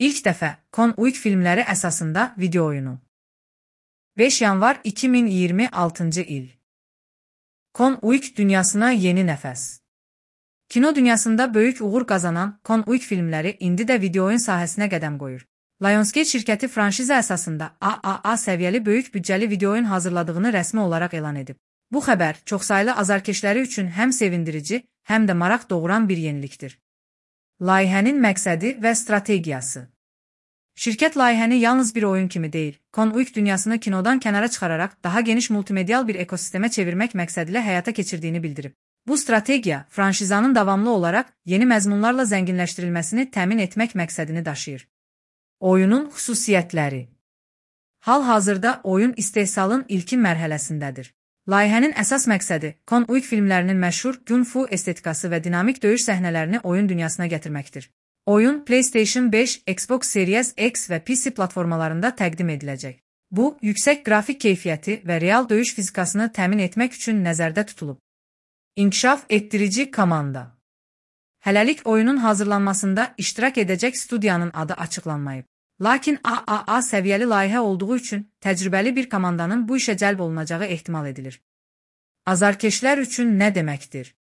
İlk dəfə Con Uyk filmləri əsasında video oyunu. 5 yanvar 2026 il. Con Uyk dünyasına yeni nəfəs. Kino dünyasında böyük uğur qazanan Con Uyk filmləri indi də video oyun sahəsinə qədəm qoyur. Lionsgate şirkəti franşiza əsasında AAA səviyyəli böyük büdcəli video oyun hazırladığını rəsmi olaraq elan edib. Bu xəbər çoxsaylı azarkeşləri üçün həm sevindirici, həm də maraq doğuran bir yenilikdir. Layihənin məqsədi və strategiyası. Şirkət layihəni yalnız bir oyun kimi deyil, Con Uyk dünyasını kinodan kənara çıxararaq daha geniş multimedial bir ekosistemə çevirmək məqsədilə həyata keçirdiyini bildirib. Bu strategiya, franşizanın davamlı olaraq yeni məzmunlarla zənginləşdirilməsini təmin etmək məqsədini daşıyır. Oyunun xüsusiyyətləri. Hal-hazırda oyun istehsalın ilkin mərhələsindədir. Layihənin əsas məqsədi Con Uyk filmlərinin məşhur gun-fu estetikası və dinamik döyüş səhnələrini oyun dünyasına gətirməkdir. Oyun PlayStation 5, Xbox Series X və PC platformalarında təqdim ediləcək. Bu, yüksək qrafik keyfiyyəti və real döyüş fizikasını təmin etmək üçün nəzərdə tutulub. İnkişaf etdirici komanda. Hələlik oyunun hazırlanmasında iştirak edəcək studiyanın adı açıqlanmayıb. Lakin AAA səviyyəli layihə olduğu üçün təcrübəli bir komandanın bu işə cəlb olunacağı ehtimal edilir. Azarkeşlər üçün nə deməkdir?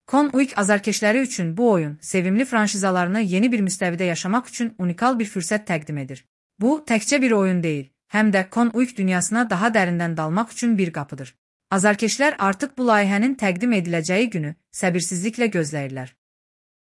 Con Uyk azarkeşləri üçün bu oyun, sevimli franşizalarını yeni bir müstəvidə yaşamaq üçün unikal bir fürsət təqdim edir. Bu, təkcə bir oyun deyil, həm də Con Uyk dünyasına daha dərindən dalmaq üçün bir qapıdır. Azarkeşlər artıq bu layihənin təqdim ediləcəyi günü səbirsizliklə gözləyirlər.